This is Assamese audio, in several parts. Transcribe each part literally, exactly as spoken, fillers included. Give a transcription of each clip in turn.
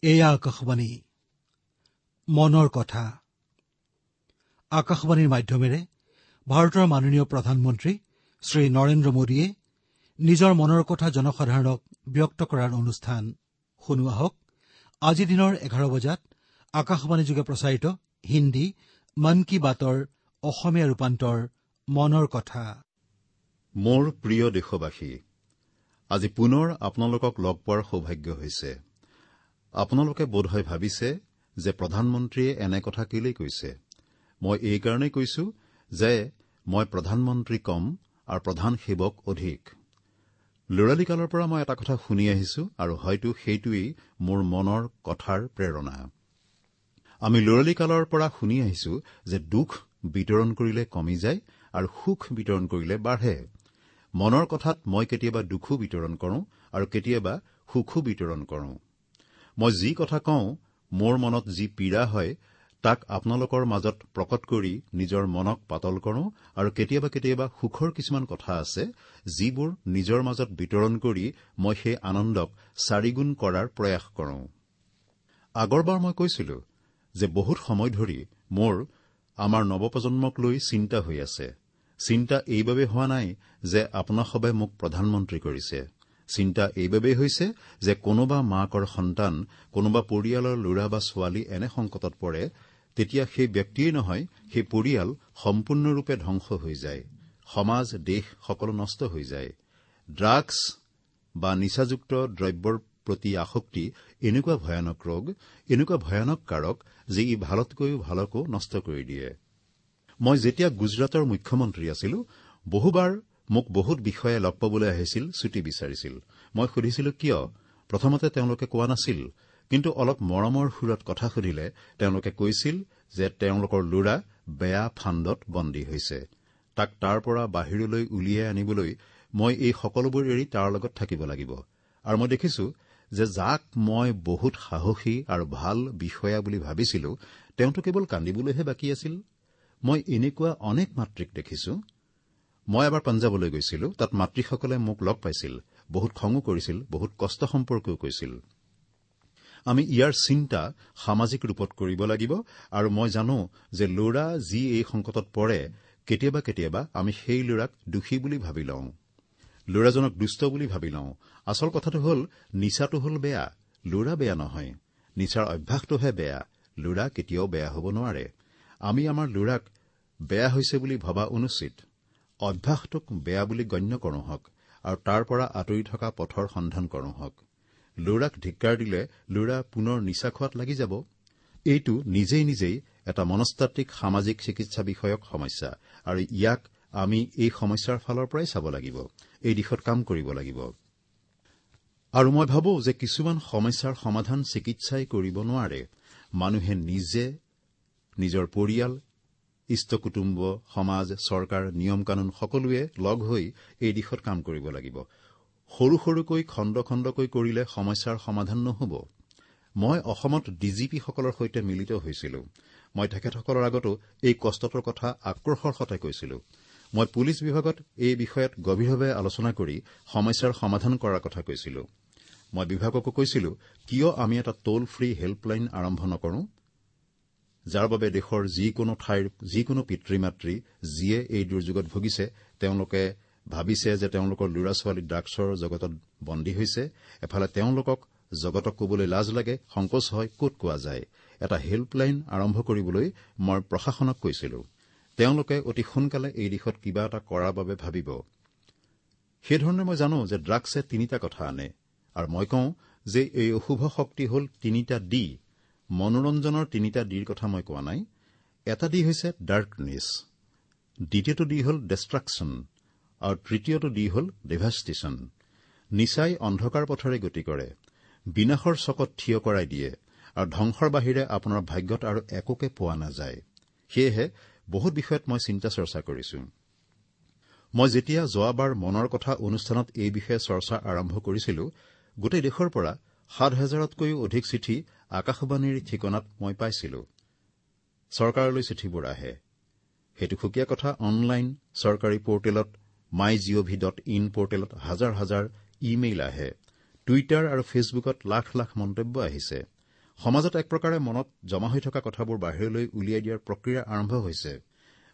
এয়া আকাশবাণী মনৰ কথা। আকাশবাণীৰ মাধ্যমেৰে ভাৰতৰ মাননীয় প্ৰধানমন্ত্ৰী শ্ৰী নৰেন্দ্ৰ মোদীয়ে নিজৰ মনৰ কথা জনসাধাৰণক ব্যক্ত কৰাৰ অনুষ্ঠান শুনোৱা হওক। আজি দিনৰ এঘাৰ বজাত আকাশবাণী যোগে প্ৰচাৰিত হিন্দী মন কী বাতৰ অসমীয়া ৰূপান্তৰ মনৰ কথা। মোৰ প্ৰিয় দেশবাসী, আজি পুনৰ আপোনালোকক লগ পোৱাৰ সৌভাগ্য হৈছে। আপোনালোকে বোধহয় ভাবিছে যে প্ৰধানমন্ত্ৰীয়ে এনে কথা কেলেই কৈছে। মই এইকাৰণেই কৈছো যে মই প্ৰধানমন্ত্ৰী কম আৰু প্ৰধান সেৱক অধিক। ল'ৰালি কালৰ পৰা মই এটা কথা শুনি আহিছো আৰু হয়তো সেইটোৱেই মোৰ মনৰ কথাৰ প্ৰেৰণা। আমি ল'ৰালি কালৰ পৰা শুনি আহিছো যে দুখ বিতৰণ কৰিলে কমি যায় আৰু সুখ বিতৰণ কৰিলে বাঢ়ে। মনৰ কথাত মই কেতিয়াবা দুখো বিতৰণ কৰো আৰু কেতিয়াবা সুখো বিতৰণ কৰো। মই যি কথা কওঁ, মোৰ মনত যি পীড়া হয় তাক আপোনালোকৰ মাজত প্ৰকট কৰি নিজৰ মনক পাতল কৰো আৰু কেতিয়াবা কেতিয়াবা সুখৰ কিছুমান কথা আছে যিবোৰ নিজৰ মাজত বিতৰণ কৰি মই সেই আনন্দক চাৰিগুণ কৰাৰ প্ৰয়াস কৰো। আগৰবাৰ মই কৈছিলো যে বহুত সময় ধৰি মোৰ আমাৰ নৱপ্ৰজন্মক লৈ চিন্তা হৈ আছে। চিন্তা এইবাবে হোৱা নাই যে আপোনাসবে মোক প্ৰধানমন্ত্ৰী কৰিছে। চিন্তা এইবাবেই হৈছে যে কোনোবা মাকৰ সন্তান, কোনোবা পৰিয়ালৰ ল'ৰা বা ছোৱালী এনে সংকটত পৰে, তেতিয়া সেই ব্যক্তিয়েই নহয়, সেই পৰিয়াল সম্পূৰ্ণৰূপে ধ্বংস হৈ যায়। সমাজ, দেশ সকলো নষ্ট হৈ যায়। ড্ৰাগছ বা নিচাযুক্ত দ্ৰব্যৰ প্ৰতি আসক্তি এনেকুৱা ভয়ানক ৰোগ, এনেকুৱা ভয়ানক কাৰক যে ই ভালতকৈও ভালকো নষ্ট কৰি দিয়ে। মই যেতিয়া গুজৰাটৰ মুখ্যমন্ত্ৰী আছিলো, বহুবাৰ মোক বহুত বিষয়ে লগ পাবলৈ আহিছিল, ছুটি বিচাৰিছিল। মই সুধিছিলো কিয়? প্ৰথমতে তেওঁলোকে কোৱা নাছিল, কিন্তু অলপ মৰমৰ সুৰত কথা সুধিলে তেওঁলোকে কৈছিল যে তেওঁলোকৰ ল'ৰা বেয়া ফান্দত বন্দী হৈছে। তাক তাৰ পৰা বাহিৰলৈ উলিয়াই আনিবলৈ মই এই সকলোবোৰ এৰি তাৰ লগত থাকিব লাগিব। আৰু মই দেখিছো যে যাক মই বহুত সাহসী আৰু ভাল বিষয়া বুলি ভাবিছিলো, তেওঁতো কেৱল কান্দিবলৈহে বাকী আছিল। মই এনেকুৱা অনেক মাতৃক দেখিছো। মই এবাৰ পঞ্জাৱলৈ গৈছিলো, তাত মাতৃসকলে মোক লগ পাইছিল, বহুত খঙো কৰিছিল, বহুত কষ্ট সম্পৰ্কেও কৈছিল। আমি ইয়াৰ চিন্তা সামাজিক ৰূপত কৰিব লাগিব আৰু মই জানো যে ল'ৰা যি এই সংকটত পৰে, কেতিয়াবা কেতিয়াবা আমি সেই ল'ৰাক দোষী বুলি ভাবি লওঁ, ল'ৰাজনক দুষ্ট বুলি ভাবি লওঁ। আচল কথাটো হ'ল নিচাটো হ'ল বেয়া, ল'ৰা বেয়া নহয়। নিচাৰ অভ্যাসটোহে বেয়া, ল'ৰা কেতিয়াও বেয়া হ'ব নোৱাৰে। আমি আমাৰ ল'ৰাক বেয়া হৈছে বুলি ভবা অনুচিত। অভ্যাসটোক বেয়া বুলি গণ্য কৰোঁ হওক আৰু তাৰ পৰা আঁতৰি থকা পথৰ সন্ধান কৰোঁ হওক। ল'ৰাক ধিক্কাৰ দিলে ল'ৰা পুনৰ নিচা খোৱাত লাগি যাব। এইটো নিজেই নিজেই এটা মনস্তাত্ত্বিক সামাজিক চিকিৎসা বিষয়ক সমস্যা আৰু ইয়াক আমি এই সমস্যাৰ ফালৰ পৰাই চাব লাগিব, এই দিশত কাম কৰিব লাগিব। আৰু মই ভাবো যে কিছুমান সমস্যাৰ সমাধান চিকিৎসাই কৰিব নোৱাৰে। মানুহে নিজে, নিজৰ পৰিয়াল, ইষ্ট কুটুম্ব, সমাজ, চৰকাৰ, নিয়ম কানুন সকলোৱে লগ হৈ এই দিশত কাম কৰিব লাগিব। সৰু সৰুকৈ খণ্ড খণ্ডকৈ কৰিলে সমস্যাৰ সমাধান নহ'ব। মই অসমত ডি জি পিসকলৰ সৈতে মিলিত হৈছিলো। মই তেখেতসকলৰ আগতো এই কষ্টটোৰ কথা আক্ৰোশৰ সৈতে কৈছিলো। মই পুলিচ বিভাগত এই বিষয়ত গভীৰভাৱে আলোচনা কৰি সমস্যাৰ সমাধান কৰাৰ কথা কৈছিলো। মই বিভাগকো কৈছিলো, কিয় আমি এটা টোল ফ্ৰী হেল্পলাইন আৰম্ভ নকৰো, যাৰ বাবে দেশৰ যিকোনো ঠাইৰ যিকোনো পিতৃ মাতৃ যিয়ে এই দুৰ্যোগত ভুগিছে, তেওঁলোকে ভাবিছে যে তেওঁলোকৰ ল'ৰা ছোৱালী ড্ৰাগছৰ জগতত বন্দী হৈছে। এফালে তেওঁলোকক জগতক কবলৈ লাজ লাগে, সংকোচ হয়, ক'ত কোৱা যায়। এটা হেল্পলাইন আৰম্ভ কৰিবলৈ মই প্ৰশাসনক কৈছিলো। তেওঁলোকে অতি সোনকালে এই দিশত কিবা এটা কৰাৰ বাবে ভাবিব। সেইধৰণে মই জানো যে ড্ৰাগছে তিনিটা কথা আনে আৰু মই কওঁ যে এই অশুভ শক্তি হ'ল তিনিটা ডি। মনোৰঞ্জনৰ তিনিটা ডিৰ কথা মই কোৱা নাই। এটা ডি হৈছে ডাৰ্কনেছ, দ্বিতীয়টো ডি হ'ল ডেষ্ট্ৰাকশ্যন আৰু তৃতীয়টো ডি হ'ল ডেভাষ্টেশ্যন। নিচাই অন্ধকাৰ পথেৰে গতি কৰে, বিনাশৰ চকত থিয় কৰাই দিয়ে আৰু ধ্বংসৰ বাহিৰে আপোনাৰ ভাগ্যত আৰু একোকে পোৱা নাযায়। সেয়েহে বহুত বিষয়ত মই চিন্তা চৰ্চা কৰিছো। মই যেতিয়া যোৱাবাৰ মনৰ কথা অনুষ্ঠানত এই বিষয়ে চৰ্চা আৰম্ভ কৰিছিলো, গোটেই দেশৰ পৰা সাত হাজাৰতকৈও অধিক চিঠি আকাশবাণীৰ ঠিকনাত মই পাইছিলো। চৰকাৰলৈ চিঠিবোৰ আহে, সেইটো সুকীয়া কথা। অনলাইন চৰকাৰী পৰ্টেলত my G O V dot in পৰ্টেলত হাজাৰ হাজাৰ ইমেইল আহে। টুইটাৰ আৰু ফেচবুকত লাখ লাখ মন্তব্য আহিছে। সমাজত এক প্ৰকাৰে মনত জমা হৈ থকা কথাবোৰ বাহিৰলৈ উলিয়াই দিয়াৰ প্ৰক্ৰিয়া আৰম্ভ হৈছে।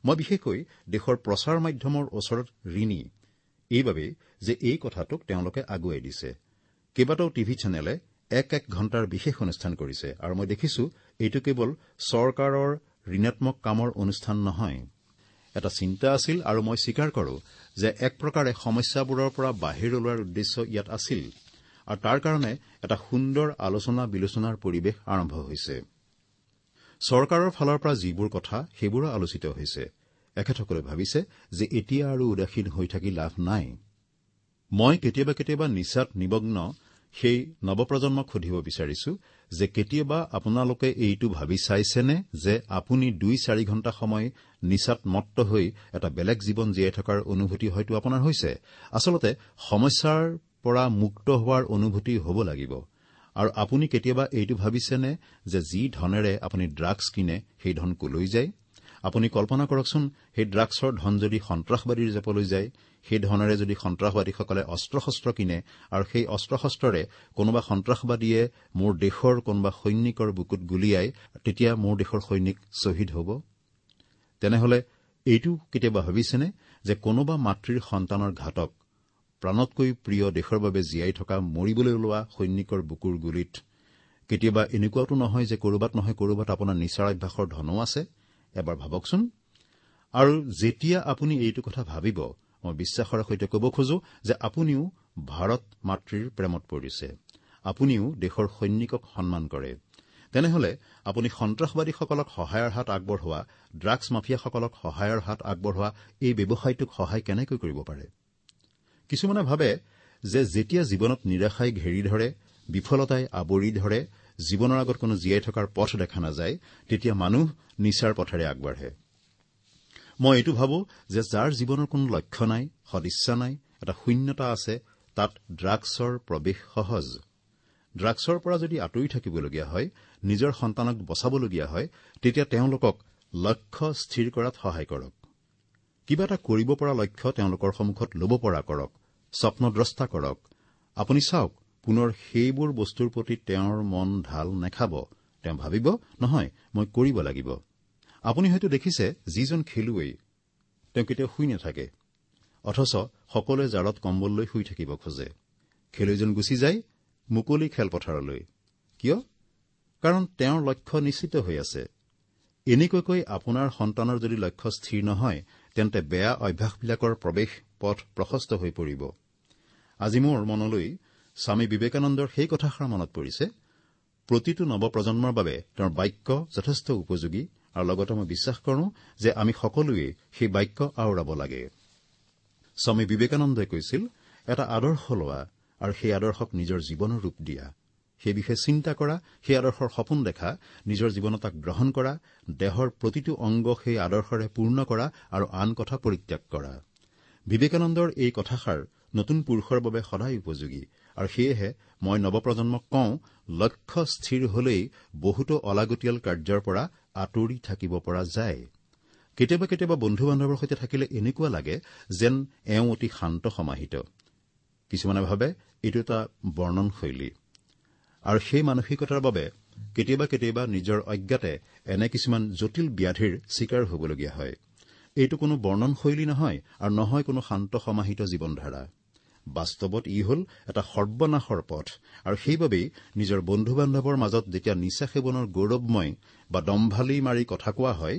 মই বিশেষকৈ দেশৰ প্ৰচাৰ মাধ্যমৰ ওচৰত ঋণী এইবাবেই যে এই কথাটোক তেওঁলোকে আগুৱাই দিছে। কেইবাটাও টিভি চেনেলে এক এক ঘণ্টাৰ বিশেষ অনুষ্ঠান কৰিছে আৰু মই দেখিছো এইটো কেৱল চৰকাৰৰ ঋণাত্মক কামৰ অনুষ্ঠান নহয়। এটা চিন্তা আছিল আৰু মই স্বীকাৰ কৰো যে এক প্ৰকাৰে সমস্যাবোৰৰ পৰা বাহিৰ ওলোৱাৰ উদ্দেশ্য ইয়াত আছিল আৰু তাৰ কাৰণে এটা সুন্দৰ আলোচনা বিলোচনাৰ পৰিৱেশ আৰম্ভ হৈছে। চৰকাৰৰ ফালৰ পৰা যিবোৰ কথা সেইবোৰো আলোচিত হৈছে। এখেতসকলে ভাবিছে যে এতিয়া আৰু উদাসীন হৈ থাকি লাভ নাই। মই কেতিয়াবা কেতিয়াবা নিচাত নিমগ্ন সেই নৱপ্ৰজন্মক সুধিব বিচাৰিছো যে কেতিয়াবা আপোনালোকে এইটো ভাবি চাইছেনে যে আপুনি দুই চাৰি ঘণ্টা সময় নিচাত মত্ত হৈ এটা বেলেগ জীৱন জীয়াই থকাৰ অনুভূতি হয়তো আপোনাৰ হৈছে। আচলতে সমস্যাৰ পৰা মুক্ত হোৱাৰ অনুভূতি হ'ব লাগিব। আৰু আপুনি কেতিয়াবা এইটো ভাবিছেনে যে যি ধনেৰে আপুনি ড্ৰাগছ কিনে সেই ধন কলৈ যায়? আপুনি কল্পনা কৰকচোন, সেই ড্ৰাগছৰ ধন যদি সন্ত্ৰাসবাদীৰ জেপলৈ যায়, সেই ধনেৰে যদি সন্ত্ৰাসবাদীসকলে অস্ত্ৰ-শস্ত্ৰ কিনে আৰু সেই অস্ত্ৰ-শস্ত্ৰৰে কোনোবা সন্ত্ৰাসবাদীয়ে মোৰ দেশৰ কোনোবা সৈনিকৰ বুকুত গুলীয়াই, তেতিয়া মোৰ দেশৰ সৈনিক শ্বহীদ হ'ব। তেনেহলে এইটো কেতিয়াবা ভাবিছেনে যে কোনোবা মাতৃৰ সন্তানৰ ঘাতক, প্ৰাণতকৈ প্ৰিয় দেশৰ বাবে জীয়াই থকা মৰিবলৈ ওলোৱা সৈনিকৰ বুকুৰ গুলীত কেতিয়াবা এনেকুৱাতো নহয় যে কৰবাত নহয় কৰবাত আপোনাৰ নিচাৰ অভ্যাসৰ ধনো আছে? এবাৰ ভাবকচোন। আৰু যেতিয়া আপুনি এইটো কথা ভাবিব, মই বিশ্বাসৰ সৈতে ক'ব খোজো যে আপুনিও ভাৰত মাতৃৰ প্ৰেমত পৰিছে, আপুনিও দেশৰ সৈনিকক সন্মান কৰে। তেনেহলে আপুনি সন্ত্ৰাসবাদীসকলক সহায়ৰ হাত আগবঢ়োৱা, ড্ৰাগছ মাফিয়াসকলক সহায়ৰ হাত আগবঢ়োৱা এই ব্যৱসায়টোক সহায় কেনেকৈ কৰিব পাৰে? কিছুমানে ভাবে যে যেতিয়া জীৱনত নিৰাশাই ঘেৰি ধৰে, বিফলতাই আৱৰি ধৰে, জীৱনৰ আগত কোনো জীয়াই থকাৰ পথ দেখা নাযায়, তেতিয়া মানুহ নিচাৰ পথেৰে আগবাঢ়ে। মই এইটো ভাবো যে যাৰ জীৱনৰ কোনো লক্ষ্য নাই, সদিচ্ছা নাই, এটা শূন্যতা আছে, তাত ড্ৰাগছৰ প্ৰৱেশ সহজ। ড্ৰাগছৰ পৰা যদি আঁতৰি থাকিবলগীয়া হয়, নিজৰ সন্তানক বচাবলগীয়া হয়, তেতিয়া তেওঁলোকক লক্ষ্য স্থিৰ কৰাত সহায় কৰক। কিবা এটা কৰিব পৰা লক্ষ্য তেওঁলোকৰ সন্মুখত ল'ব পৰা কৰক, স্বপ্নদ্ৰষ্টা কৰক। আপুনি চাওক, পুনৰ সেইবোৰ বস্তুৰ প্ৰতি তেওঁৰ মন ঢাল নেখাব। তেওঁ ভাবিব, নহয়, মই কৰিব লাগিব। আপুনি হয়তো দেখিছে যিজন খেলুৱৈ, তেওঁ কেতিয়াও শুই নাথাকে, অথচ সকলোৱে জাৰত কম্বল লৈ শুই থাকিব খোজে। খেলুৱৈজন গুচি যায় মুকলি খেলপথাৰলৈ। কিয়? কাৰণ তেওঁৰ লক্ষ্য নিশ্চিত হৈ আছে। এনেকুৱাকৈ আপোনাৰ সন্তানৰ যদি লক্ষ্য স্থিৰ নহয়, তেন্তে বেয়া অভ্যাসবিলাকৰ প্ৰৱেশ পথ প্ৰশস্ত হৈ পৰিব। আজি মোৰ মনলৈ স্বামী বিবেকানন্দৰ সেই কথাষাৰ মনত পৰিছে। প্ৰতিটো নৱপ্ৰজন্মৰ বাবে তেওঁৰ বাক্য যথেষ্ট উপযোগী আৰু লগতে মই বিশ্বাস কৰোঁ যে আমি সকলোৱে সেই বাক্য আওৰাব লাগে। স্বামী বিবেকানন্দই কৈছিল, এটা আদৰ্শ লোৱা আৰু সেই আদৰ্শক নিজৰ জীৱনৰ ৰূপ দিয়া, সেই বিষয়ে চিন্তা কৰা, সেই আদৰ্শৰ সপোন দেখা, নিজৰ জীৱনত তাক গ্ৰহণ কৰা, দেহৰ প্ৰতিটো অংগ সেই আদৰ্শৰে পূৰ্ণ কৰা আৰু আন কথা পৰিত্যাগ কৰা। বিবেকানন্দৰ এই কথাষাৰ নতুন পুৰুষৰ বাবে সদায় উপযোগী আৰু সেয়েহে মই নৱপ্ৰজন্মক কওঁ, লক্ষ্য স্থিৰ হলেই বহুতো অলাগতিয়াল কাৰ্যৰ পৰা আঁতৰি থাকিব পৰা যায়। কেতিয়াবা কেতিয়াবা বন্ধু বান্ধৱৰ সৈতে থাকিলে এনেকুৱা লাগে যেন এওঁ অতি শান্ত সমাহিত। কিছুমানে ভাবে এইটো এটা বৰ্ণনশৈলী আৰু সেই মানসিকতাৰ বাবে কেতিয়াবা কেতিয়াবা নিজৰ অজ্ঞাতে এনে কিছুমান জটিল ব্যাধিৰ চিকাৰ হ'বলগীয়া হয়। এইটো কোনো বৰ্ণনশৈলী নহয় আৰু নহয় কোনো শান্ত সমাহিত জীৱনধাৰা। বাস্তৱত ই হ'ল এটা সৰ্বনাশৰ পথ আৰু সেইবাবেই নিজৰ বন্ধু বান্ধৱৰ মাজত যেতিয়া নিচা সেৱনৰ গৌৰৱময় বা দম্ভালি মাৰি কথা কোৱা হয়,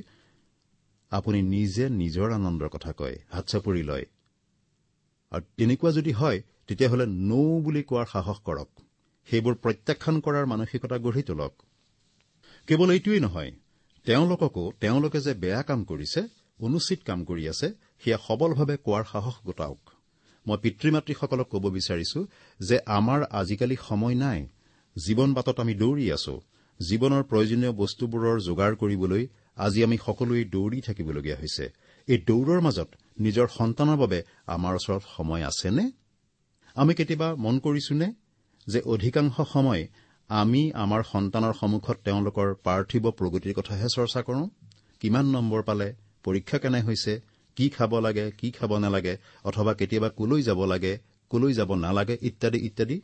আপুনি নিজে নিজৰ আনন্দৰ কথা কয়, হাত চাপৰি লয়। আৰু তেনেকুৱা যদি হয়, তেতিয়াহ'লে নৌ বুলি কোৱাৰ সাহস কৰক, সেইবোৰ প্ৰত্যাখ্যান কৰাৰ মানসিকতা গঢ়ি তোলক। কেৱল এইটোৱেই নহয়, তেওঁলোককো তেওঁলোকে যে বেয়া কাম কৰিছে, অনুচিত কাম কৰি আছে, সেয়া সবলভাৱে কোৱাৰ সাহস গোটাওক। মই পিতৃ মাতৃসকলক ক'ব বিচাৰিছো যে আমাৰ আজিকালি সময় নাই। জীৱন বাটত আমি দৌৰি আছো। জীৱনৰ প্ৰয়োজনীয় বস্তুবোৰৰ যোগাৰ কৰিবলৈ আজি আমি সকলোৱে দৌৰি থাকিবলগীয়া হৈছে। এই দৌৰৰ মাজত নিজৰ সন্তানৰ বাবে আমাৰ ওচৰত সময় আছেনে? আমি কেতিয়াবা মন কৰিছোনে যে অধিকাংশ সময় আমি আমাৰ সন্তানৰ সন্মুখত তেওঁলোকৰ পাৰ্থিৱ প্ৰগতিৰ কথাহে চৰ্চা কৰোঁ? কিমান নম্বৰ পালে, পৰীক্ষা কেনে হৈছে, কি খাব লাগে, কি খাব নালাগে, অথবা কেতিয়াবা কলৈ যাব লাগে, কলৈ যাব নালাগে, ইত্যাদি ইত্যাদি।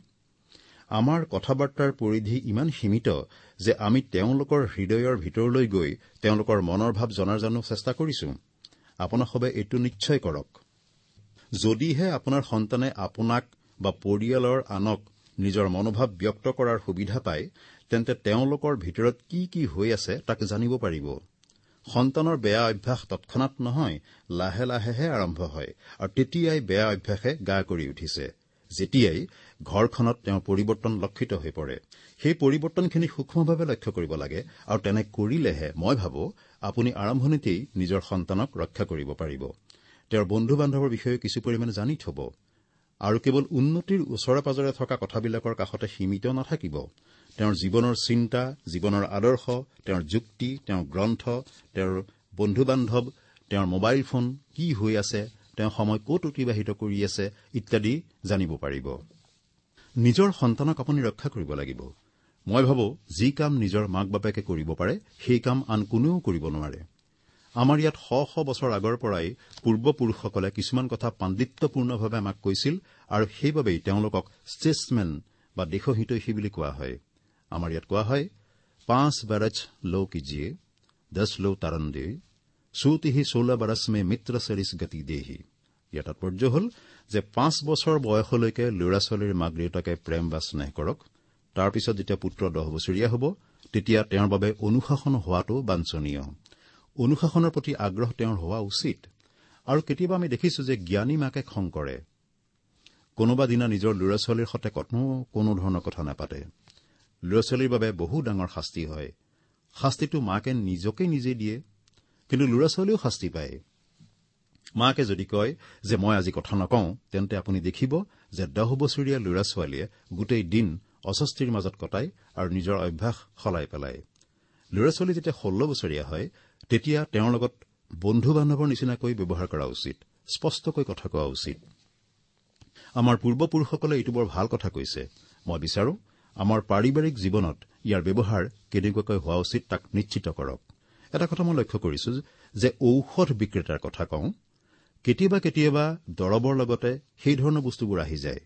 আমাৰ কথা বাৰ্তাৰ পৰিধি ইমান সীমিত যে আমি তেওঁলোকৰ হৃদয়ৰ ভিতৰলৈ গৈ তেওঁলোকৰ মনৰ ভাৱ জনাৰ জানো চেষ্টা কৰিছো? আপোনাসবে এইটো নিশ্চয় কৰক। যদিহে আপোনাৰ সন্তানে আপোনাক বা পৰিয়ালৰ আনক নিজৰ মনোভাৱ ব্যক্ত কৰাৰ সুবিধা পায়, তেন্তে তেওঁলোকৰ ভিতৰত কি কি হৈ আছে তাক জানিব পাৰিব। সন্তানৰ বেয়া অভ্যাস তৎক্ষণাত নহয়, লাহে লাহেহে আৰম্ভ হয় আৰু তেতিয়াই বেয়া অভ্যাসে গা কৰি উঠিছে, যেতিয়াই ঘৰখনত তেওঁৰ পৰিৱৰ্তন লক্ষিত হৈ পৰে। সেই পৰিৱৰ্তনখিনি সূক্ষ্মভাৱে লক্ষ্য কৰিব লাগে আৰু তেনে কৰিলেহে মই ভাবো আপুনি আৰম্ভণিতেই নিজৰ সন্তানক ৰক্ষা কৰিব পাৰিব। তেওঁৰ বন্ধু বান্ধৱৰ বিষয়ে কিছু পৰিমাণে জানি থব আৰু কেৱল উন্নতিৰ ওচৰে পাজৰে থকা কথাবিলাকৰ কাষতে সীমিত নাথাকিব। তেওঁৰ জীৱনৰ চিন্তা, জীৱনৰ আদৰ্শ, তেওঁৰ যুক্তি, তেওঁৰ গ্ৰন্থ, তেওঁৰ বন্ধু বান্ধৱ, তেওঁৰ মোবাইল ফোন কি হৈ আছে, তেওঁ সময় ক'ত অতিবাহিত কৰি আছে ইত্যাদি জানিব পাৰিব। নিজৰ সন্তানক আপুনি ৰক্ষা কৰিব লাগিব। মই ভাবো যি কাম নিজৰ মাক বাপেকে কৰিব পাৰে, সেই কাম আন কোনেও কৰিব নোৱাৰে। আমাৰ ইয়াত শ শ বছৰ আগৰ পৰাই পূৰ্বপুৰুষসকলে কিছুমান কথা পাণ্ডিত্যপূৰ্ণভাৱে আমাক কৈছিল আৰু সেইবাবেই তেওঁলোকক ষ্টেটছমেন বা দেশহিতৈষী বুলি কোৱা হয়। আমাৰ ইয়াত কোৱা হয়, পাঁচ বৰছ লো কিজিয়ে, দহ লো তাৰণ দে, সুতিহি ষোল্ল বৰছ মে মিত্ৰ চৰিছ গতি দেহি। ইয়াৰ তাৎপৰ্য হ'ল যে পাঁচ বছৰ বয়সলৈকে ল'ৰা ছোৱালীৰ মাক দেউতাকে প্ৰেম বা স্নেহ কৰক। তাৰ পিছত যেতিয়া পুত্ৰ দহ বছৰীয়া হ'ব, তেতিয়া তেওঁৰ বাবে অনুশাসন হোৱাটো বাঞ্ছনীয়। অনুশাসনৰ প্ৰতি আগ্ৰহ তেওঁৰ হোৱা উচিত। আৰু কেতিয়াবা আমি দেখিছো যে জ্ঞানী মাকে খং কৰে, কোনোবা দিনা নিজৰ ল'ৰা ছোৱালীৰ সৈতে কোনো কোনো ধৰণৰ কথা নাপাতে। ল'ৰা ছোৱালীৰ বাবে বহু ডাঙৰ শাস্তি হয়। শাস্তিটো মাকে নিজকে নিজে দিয়ে, কিন্তু ল'ৰা ছোৱালীয়েও শাস্তি পায়। মাকে যদি কয় যে মই আজি কথা নকওঁ, তেন্তে আপুনি দেখিব যে দহ বছৰীয়া ল'ৰা ছোৱালীয়ে গোটেই দিন অস্বস্তিৰ মাজত কটায় আৰু নিজৰ অভ্যাস সলাই পেলায়। ল'ৰা ছোৱালী যেতিয়া ষোল্ল বছৰীয়া হয়, তেতিয়া তেওঁৰ লগত বন্ধু বান্ধৱৰ নিচিনাকৈ ব্যৱহাৰ কৰা উচিত, স্পষ্টকৈ কথা কোৱা উচিত। আমাৰ পূৰ্বপুৰুষসকলে এইটো বৰ ভাল কথা কৈছে। মই বিচাৰো আমাৰ পাৰিবাৰিক জীৱনত ইয়াৰ ব্যৱহাৰ কেনেকুৱাকৈ হোৱা উচিত তাক নিশ্চিত কৰক। এটা কথা মই লক্ষ্য কৰিছো যে ঔষধ বিক্ৰেতাৰ কথা কওঁ, কেতিয়াবা কেতিয়াবা দৰৱৰ লগতে সেই ধৰণৰ বস্তুবোৰ আহি যায়।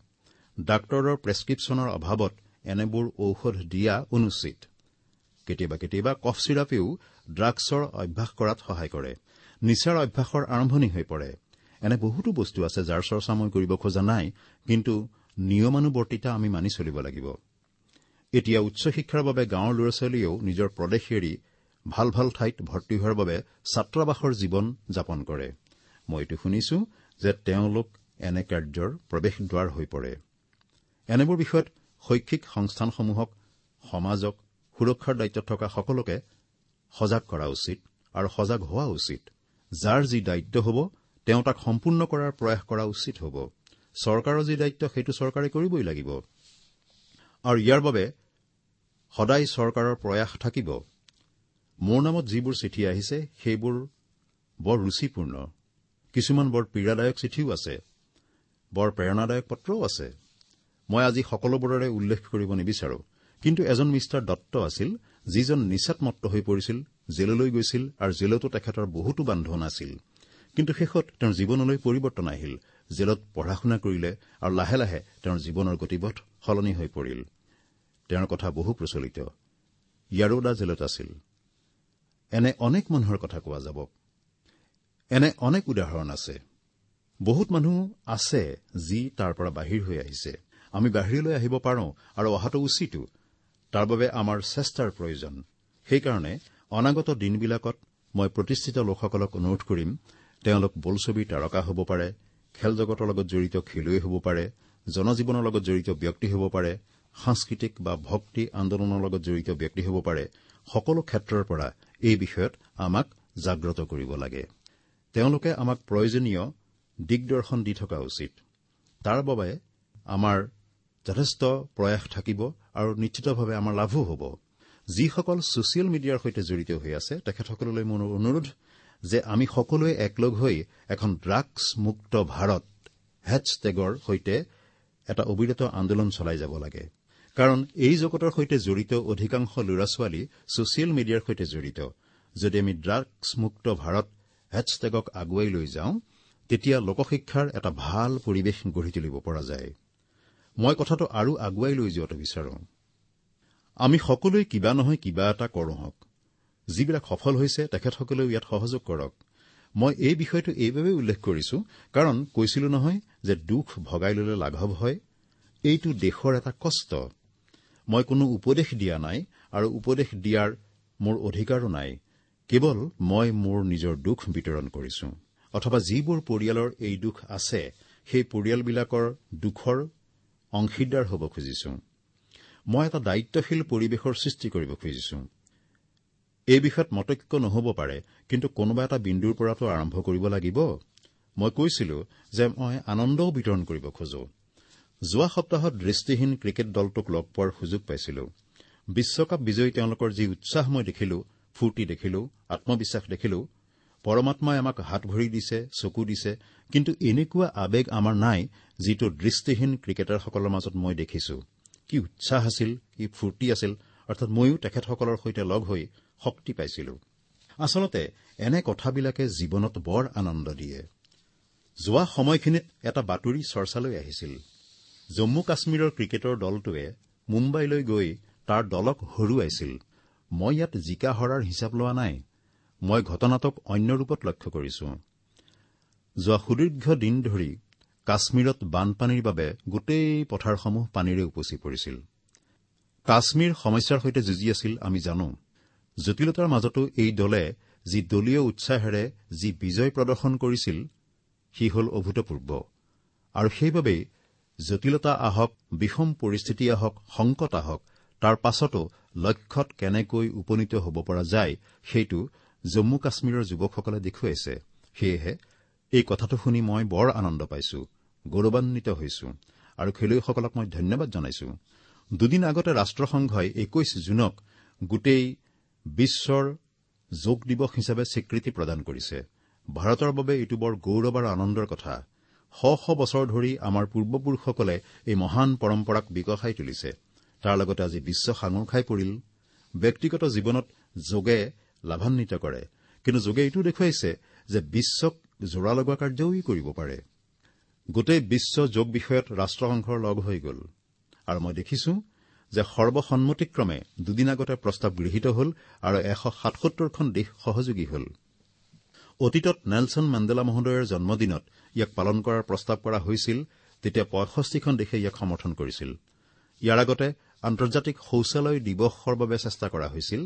ডাক্তৰৰ প্ৰেছক্ৰিপশ্যনৰ অভাৱত এনেবোৰ ঔষধ দিয়া অনুচিত। কেতিয়াবা কেতিয়াবা কফ চিৰাপেও ড্ৰাগছৰ অভ্যাস কৰাত সহায় কৰে, নিচাৰ অভ্যাসৰ আৰম্ভণি হৈ পৰে। এনে বহুতো বস্তু আছে যাৰ চৰ্চা মই কৰিব খোজা নাই, কিন্তু নিয়মানুবৰ্তিতা আমি মানি চলিব লাগিব। এতিয়া উচ্চ শিক্ষাৰ বাবে গাঁৱৰ ল'ৰা ছোৱালীয়েও নিজৰ প্ৰদেশ এৰি ভাল ভাল ঠাইত ভৰ্তি হোৱাৰ বাবে ছাত্ৰাবাসৰ জীৱন যাপন কৰে। মই এইটো শুনিছো যে তেওঁলোক এনে কাৰ্যৰ প্ৰৱেশদ্বাৰ হৈ পৰে। এনেবোৰ বিষয়ত শৈক্ষিক সংস্থানসমূহক, সমাজক, সুৰক্ষাৰ দায়িত্বত থকা সকলোকে সজাগ কৰা উচিত আৰু সজাগ হোৱা উচিত। যাৰ যি দায়িত্ব হ'ব তেওঁ তাক সম্পূৰ্ণ কৰাৰ প্ৰয়াস কৰা উচিত হ'ব। চৰকাৰৰ যি দায়িত্ব সেইটো চৰকাৰে কৰিবই লাগিব আৰু ইয়াৰ বাবে সদায় চৰকাৰৰ প্ৰয়াস থাকিব। মোৰ নামত যিবোৰ চিঠি আহিছে সেইবোৰ বৰ ৰুচিপূৰ্ণ, কিছুমান বৰ পীড়াদায়ক চিঠিও আছে, বৰ প্ৰেৰণাদায়ক পত্ৰও আছে। মই আজি সকলোবোৰৰে উল্লেখ কৰিব নিবিচাৰো, কিন্তু এজন মিষ্টাৰ দত্ত আছিল যিজন নিচাত মত্ত হৈ পৰিছিল, জেললৈ গৈছিল আৰু জেলতো তেখেতৰ বহুতো বান্ধোন আছিল। কিন্তু শেষত তেওঁৰ জীৱনলৈ পৰিৱৰ্তন আহিল, জেলত পঢ়া শুনা কৰিলে আৰু লাহে লাহে তেওঁৰ জীৱনৰ গতিপথ সলনি হৈ পৰিল। তেওঁৰ কথা বহু প্ৰচলিত। য়াৰোদা জেলত আছিল। এনে অনেক মানুহৰ কথা কোৱা যাব, এনে অনেক উদাহৰণ আছে। বহুত মানুহ আছে যি তাৰ পৰা বাহিৰ হৈ আহিছে। আমি বাহিৰলৈ আহিব পাৰোঁ আৰু অহাটো উচিতো, তাৰ বাবে আমাৰ চেষ্টাৰ প্ৰয়োজন। সেইকাৰণে অনাগত দিনবিলাকত মই প্ৰতিষ্ঠিত লোকসকলক অনুৰোধ কৰিম, তেওঁলোক বোলছবিৰ তাৰকা হ'ব পাৰে, খেল জগতৰ লগত জড়িত খেলুৱৈ হ'ব পাৰে, জনজীৱনৰ লগত জড়িত ব্যক্তি হ'ব পাৰে, সাংস্কৃতিক বা ভক্তি আন্দোলনৰ লগত জড়িত ব্যক্তি হ'ব পাৰে, সকলো ক্ষেত্ৰৰ পৰা এই বিষয়ত আমাক জাগ্ৰত কৰিব লাগে। তেওঁলোকে আমাক প্ৰয়োজনীয় দিগদৰ্শন দি থকা উচিত। তাৰ বাবে আমাৰ যথেষ্ট প্ৰয়াস থাকিব আৰু নিশ্চিতভাৱে আমাৰ লাভো হ'ব। যিসকল ছচিয়েল মিডিয়াৰ সৈতে জড়িত হৈ আছে তেখেতসকললৈ মোৰ অনুৰোধ যে আমি সকলোৱে একলগ হৈ এখন ড্ৰাগছ মুক্ত ভাৰত হেছটেগৰ সৈতে এটা অবিৰত আন্দোলন চলাই যাব লাগে। কাৰণ এই জগতৰ সৈতে জড়িত অধিকাংশ ল'ৰা ছোৱালী ছচিয়েল মিডিয়াৰ সৈতে জড়িত। যদি আমি ড্ৰাগছ মুক্ত ভাৰত হেছটেগক আগুৱাই লৈ যাওঁ, তেতিয়া লোকশিক্ষাৰ এটা ভাল পৰিৱেশ গঢ়ি তুলিব পৰা যায়। মই কথাটো আৰু আগুৱাই লৈ যোৱাটো বিচাৰো। আমি সকলোৱে কিবা নহয় কিবা এটা কৰোঁ হওক। যিবিলাক সফল হৈছে তেখেতসকলেও ইয়াত সহযোগ কৰক। মই এই বিষয়টো এইবাবেই উল্লেখ কৰিছো কাৰণ কৈছিলো নহয় যে দুখ ভগাই ললে লাঘৱ হয়। এইটো দেশৰ এটা কষ্ট। মই কোনো উপদেশ দিয়া নাই আৰু উপদেশ দিয়াৰ মোৰ অধিকাৰো নাই। কেৱল মই মোৰ নিজৰ দুখ বিতৰণ কৰিছো অথবা যিবোৰ পৰিয়ালৰ এই দুখ আছে সেই পৰিয়ালবিলাকৰ দুখৰ অংশীদাৰ হ'ব খুজিছো। মই এটা দায়িত্বশীল পৰিৱেশৰ সৃষ্টি কৰিব খুজিছো। এই বিষয়ত মতৈক্য নহ'ব পাৰে, কিন্তু কোনোবা এটা বিন্দুৰ পৰাতো আৰম্ভ কৰিব লাগিব। মই কৈছিলো যে মই আনন্দও বিতৰণ কৰিব খোজো। যোৱা সপ্তাহত দৃষ্টিহীন ক্ৰিকেট দলটোক লগ পোৱাৰ সুযোগ পাইছিলো। বিশ্বকাপ বিজয়ী তেওঁলোকৰ যি উৎসাহ মই দেখিলো, ফূৰ্তি দেখিলো, আত্মবিশ্বাস দেখিলো। পৰমাত্মাই আমাক হাত ভৰি দিছে, চকু দিছে, কিন্তু এনেকুৱা আৱেগ আমাৰ নাই যিটো দৃষ্টিহীন ক্ৰিকেটাৰসকলৰ মাজত মই দেখিছো। কি উৎসাহ আছিল, কি ফূৰ্তি আছিল, অৰ্থাৎ ময়ো তেখেতসকলৰ সৈতে লগ হৈ শক্তি পাইছিলো। আচলতে এনে কথাবিলাকে জীৱনত বৰ আনন্দ দিয়ে। যোৱা সময়খিনিত এটা বাতৰি চৰ্চালৈ আহিছিল। জম্মু কাশ্মীৰৰ ক্ৰিকেটৰ দলটোৱে মুম্বাইলৈ গৈ তাৰ দলক হৰুৱাইছিল। মই ইয়াত জিকা হৰাৰ হিচাপ লোৱা নাই, মই ঘটনাটোক অন্য ৰূপত লক্ষ্য কৰিছো। যোৱা সুদীৰ্ঘ দিন ধৰি কাশ্মীৰত বানপানীৰ বাবে গোটেই পথাৰসমূহ পানীৰে উপচি পৰিছিল। কাশ্মীৰ সমস্যাৰ সৈতে যুঁজি আছিল আমি জানো। জটিলতাৰ মাজতো এই দলে যি দলীয় উৎসাহেৰে যি বিজয় প্ৰদৰ্শন কৰিছিল সি হ'ল অভূতপূৰ্ব। আৰু সেইবাবেই জটিলতা আহক, বিষম পৰিস্থিতি আহক, সংকট আহক, তাৰ পাছতো লক্ষ্যত কেনেকৈ উপনীত হ'ব পৰা যায় সেইটো জম্মু কাশ্মীৰৰ যুৱকসকলে দেখুৱাইছে। সেয়েহে এই কথাটো শুনি মই বৰ আনন্দ পাইছো, গৌৰৱান্বিত হৈছো আৰু খেলুৱৈসকলক মই ধন্যবাদ জনাইছো। দুদিন আগতে ৰাষ্ট্ৰসংঘই একৈশ জুনক গোটেই বিশ্বৰ যোগ দিৱস হিচাপে স্বীকৃতি প্ৰদান কৰিছে। ভাৰতৰ বাবে এইটো বৰ গৌৰৱ আৰু আনন্দৰ কথা। শ শ বছৰ ধৰি আমাৰ পূৰ্বপুৰুষসকলে এই মহান পৰম্পৰাক বিকশাই তুলিছে। তাৰ লগতে আজি বিশ্ব সাঙুৰ খাই পৰিল। ব্যক্তিগত জীৱনত যোগে লাভান্বিত কৰে, কিন্তু যোগে এইটো দেখুৱাইছে যে বিশ্বক জোৰা লগোৱা কাৰ্যও ই কৰিব পাৰে। গোটেই বিশ্ব যোগ বিষয়ত ৰাষ্ট্ৰসংঘৰ লগ হৈ গ'ল আৰু মই দেখিছো যে সৰ্বসন্মতিক্ৰমে দুদিন আগতে প্ৰস্তাৱ গৃহীত হ'ল আৰু এশ সাতসত্তৰখন দেশ সহযোগী হ'ল। অতীতত নেলছন মেণ্ডেলা মহোদয়ৰ জন্মদিনত ইয়াক পালন কৰাৰ প্ৰস্তাৱ কৰা হৈছিল, তেতিয়া পঁয়ষষ্ঠিখন দেশে ইয়াক সমৰ্থন কৰিছিল। ইয়াৰ আগতে আন্তৰ্জাতিক শৌচালয় দিৱসৰ বাবে চেষ্টা কৰা হৈছিল,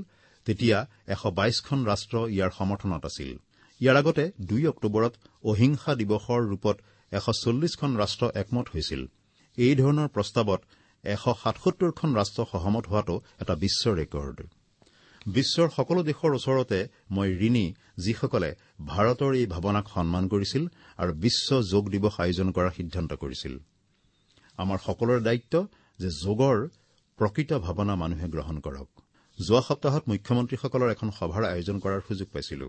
তেতিয়া এশ বাইশখন ৰাষ্ট্ৰ ইয়াৰ সমৰ্থনত আছিল। ইয়াৰ আগতে দুই অক্টোবৰত অহিংসা দিৱসৰ ৰূপত এশ চল্লিশখন ৰাষ্ট্ৰ একমত হৈছিল। এই ধৰণৰ প্ৰস্তাৱত এশ সাতসত্তৰখন ৰাষ্ট্ৰ সহমত হোৱাটো এটা বিশ্ব ৰেকৰ্ড। বিশ্বৰ সকলো দেশৰ ওচৰতে মই ঋণী যিসকলে ভাৰতৰ এই ভাৱনাক সন্মান কৰিছিল আৰু বিশ্ব যোগ দিৱস আয়োজন কৰাৰ সিদ্ধান্ত কৰিছিল। আমাৰ সকলোৰে দায়িত্ব যে যোগৰ প্ৰকৃত ভাৱনা মানুহে গ্ৰহণ কৰক। যোৱা সপ্তাহত মুখ্যমন্ত্ৰীসকলৰ এখন সভাৰ আয়োজন কৰাৰ সুযোগ পাইছিলো।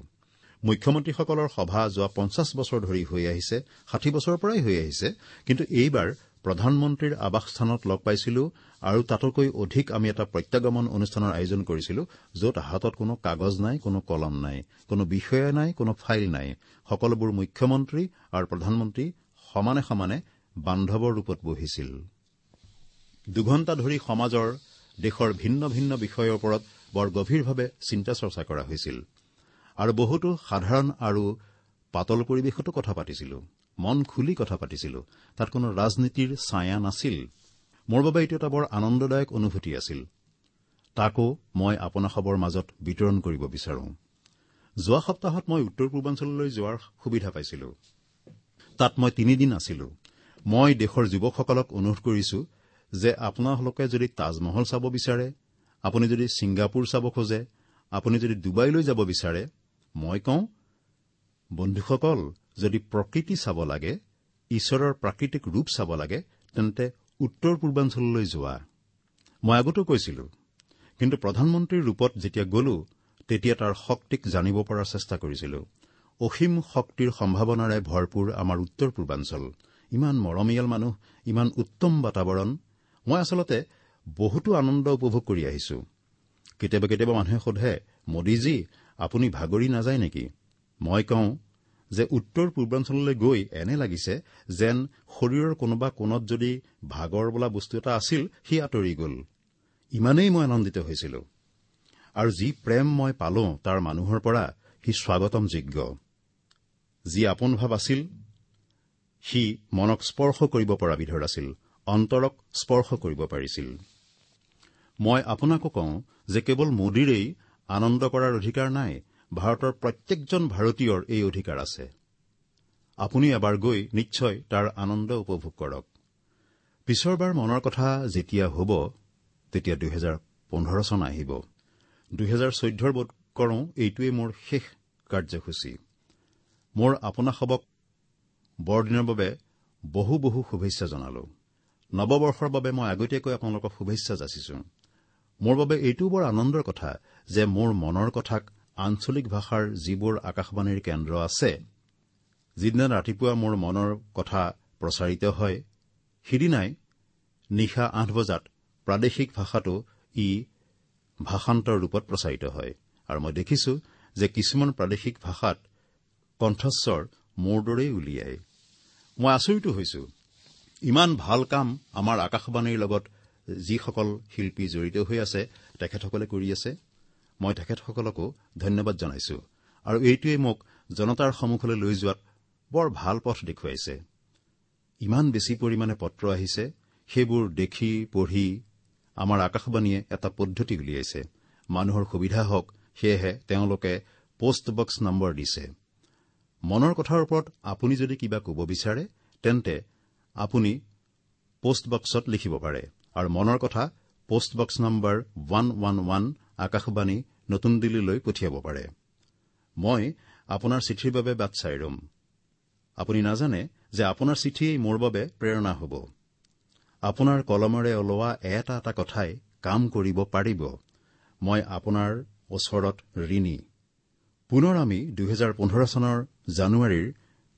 মুখ্যমন্ত্ৰীসকলৰ সভা যোৱা পঞ্চাছ বছৰ ধৰি হৈ আহিছে, ষাঠি বছৰৰ পৰাই হৈ আহিছে, কিন্তু এইবাৰ প্ৰধানমন্ত্ৰীৰ আৱাসস্থানত লগ পাইছিলো আৰু তাতোকৈ অধিক আমি এটা প্ৰত্যাগমন অনুষ্ঠানৰ আয়োজন কৰিছিলো, য'ত হাতত কোনো কাগজ নাই, কোনো কলম নাই, কোনো বিষয়া নাই, কোনো ফাইল নাই। সকলোবোৰ মুখ্যমন্ত্ৰী আৰু প্ৰধানমন্ত্ৰী সমানে সমানে বান্ধৱৰ ৰূপত বহিছিল। দুঘণ্টা ধৰি সমাজৰ দেশৰ ভিন্ন ভিন্ন বিষয়ৰ ওপৰত বৰ গভীৰভাৱে চিন্তা চৰ্চা কৰা হৈছিল আৰু বহুতো সাধাৰণ আৰু পাতল পৰিৱেশতো কথা পাতিছিলো, মন খুলি কথা পাতিছিলো। তাত কোনো ৰাজনীতিৰ ছায়া নাছিল। মোৰ বাবে এইটো এটা বৰ আনন্দদায়ক অনুভূতি আছিল। তাকো মই আপোনাসৱৰ মাজত বিতৰণ কৰিব বিচাৰো। যোৱা সপ্তাহত মই উত্তৰ পূৰ্বাঞ্চললৈ যোৱাৰ সুবিধা পাইছিলো। তাত মই তিনিদিন আছিলো। মই দেশৰ যুৱকসকলক অনুৰোধ কৰিছো যে আপোনালোকে যদি তাজমহল চাব বিচাৰে, আপুনি যদি ছিংগাপুৰ চাব খোজে, আপুনি যদি ডুবাইলৈ যাব বিচাৰে, মই কওঁ বন্ধুসকল, যদি প্ৰকৃতি চাব লাগে, ঈশ্বৰৰ প্ৰাকৃতিক ৰূপ চাব লাগে, তেন্তে উত্তৰ পূৰ্বাঞ্চললৈ যোৱা। মই আগতো কৈছিলো, কিন্তু প্ৰধানমন্ত্ৰীৰ ৰূপত যেতিয়া গলো তেতিয়া তাৰ শক্তিক জানিব পৰাৰ চেষ্টা কৰিছিলো। অসীম শক্তিৰ সম্ভাৱনাৰে ভৰপূৰ আমাৰ উত্তৰ পূৰ্বাঞ্চল, ইমান মৰমীয়াল মানুহ, ইমান উত্তম বাতাবৰণ। মই আচলতে বহুতো আনন্দ উপভোগ কৰি আহিছো। কেতিয়াবা কেতিয়াবা মানুহে সোধে, মোদীজী আপুনি ভাগৰি নাযায় নেকি? মই কওঁ যে উত্তৰ পূৰ্বাঞ্চললৈ গৈ এনে লাগিছে যেন শৰীৰৰ কোনোবা কোণত যদি ভাগৰ বোলা বস্তু এটা আছিল সি আঁতৰি গ'ল। ইমানেই মই আনন্দিত হৈছিলো। আৰু যি প্ৰেম মই পালো তাৰ মানুহৰ পৰা সি স্বাগতমযোগ্য। যি আপোন ভাৱ আছিল সি মনক স্পৰ্শ কৰিব পৰা বিধৰ আছিল, অন্তৰক স্পৰ্শ কৰিব পাৰিছিল। মই আপোনাকো কওঁ যে কেৱল মোদীৰেই আনন্দ কৰাৰ অধিকাৰ নাই, ভাৰতৰ প্ৰত্যেকজন ভাৰতীয়ৰ এই অধিকাৰ আছে। আপুনি এবাৰ গৈ নিশ্চয় তাৰ আনন্দ উপভোগ কৰক। পিছৰবাৰ মনৰ কথা যেতিয়া হ'ব তেতিয়া দুহেজাৰ পোন্ধৰ চন আহিব। দুহেজাৰ চৈধ্যৰ বোধ কৰোঁ এইটোৱেই মোৰ শেষ কাৰ্যসূচী। মোৰ আপোনাসবক বৰদিনৰ বাবে বহু বহু শুভেচ্ছা জনালো। নৱবৰ্ষৰ বাবে মই আগতীয়াকৈ আপোনালোকক শুভেচ্ছা যাচিছো। মোৰ বাবে এইটোও বৰ আনন্দৰ কথা যে মোৰ মনৰ কথাক আঞ্চলিক ভাষাৰ যিবোৰ আকাশবাণীৰ কেন্দ্ৰ আছে, যিদিনা ৰাতিপুৱা মোৰ মনৰ কথা প্ৰচাৰিত হয় সিদিনাই নিশা আঠ বজাত প্ৰাদেশিক ভাষাটো ই ভাষান্তৰ ৰূপত প্ৰচাৰিত হয়। আৰু মই দেখিছো যে কিছুমান প্ৰাদেশিক ভাষাত কণ্ঠস্বৰ মোৰ দৰেই উলিয়ায়। মই আচৰিতো হৈছো। ইমান ভাল কাম আমাৰ আকাশবাণীৰ লগত যিসকল শিল্পী জড়িত হৈ আছে তেখেতসকলে কৰি আছে। মই তেখেতসকলকো ধন্যবাদ জনাইছো। আৰু এইটোৱে মোক জনতাৰ সন্মুখলৈ লৈ যোৱাত বৰ ভাল পথ দেখুৱাইছে। ইমান বেছি পৰিমাণে পত্ৰ আহিছে, সেইবোৰ দেখি পঢ়ি আমাৰ আকাশবাণীয়ে এটা পদ্ধতি উলিয়াইছে। মানুহৰ সুবিধা হওক সেয়েহে তেওঁলোকে পোষ্ট বক্স নম্বৰ দিছে। মনৰ কথাৰ ওপৰত আপুনি যদি কিবা ক'ব বিচাৰে তেন্তে আপুনি পোষ্ট বক্সত লিখিব পাৰে। আৰু মনৰ কথা post box number one one one Akashvani নতুন দিল্লীলৈ পঠিয়াব পাৰে। মই আপোনাৰ চিঠিৰ বাবে বাট চাই ৰম। আপুনি নাজানে যে আপোনাৰ চিঠিয়েই মোৰ বাবে প্ৰেৰণা হ'ব। আপোনাৰ কলমেৰে ওলোৱা এটা এটা কথাই কাম কৰিব পাৰিব। মই আপোনাৰ ওচৰত ঋণী। পুনৰ আমি দুহেজাৰ পোন্ধৰ চনৰ জানুৱাৰীৰ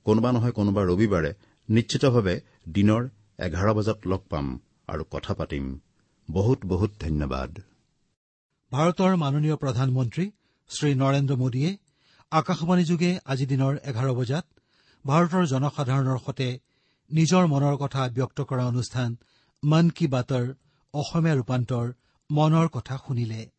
কোনোবা নহয় কোনোবা ৰবিবাৰে নিশ্চিতভাৱে দিনৰ এঘাৰ বজাত লগ পাম আৰু কথা পাতিম। বহুত বহুত ধন্যবাদ। ভাৰতৰ মাননীয় প্ৰধানমন্ত্ৰী শ্ৰী নৰেন্দ্ৰ মোদীয়ে আকাশবাণী যোগে আজি দিনৰ এঘাৰ বজাত ভাৰতৰ জনসাধাৰণৰ সৈতে নিজৰ মনৰ কথা ব্যক্ত কৰা অনুষ্ঠান মন কী বাতৰ অসমীয়া ৰূপান্তৰ মনৰ কথা শুনিলে।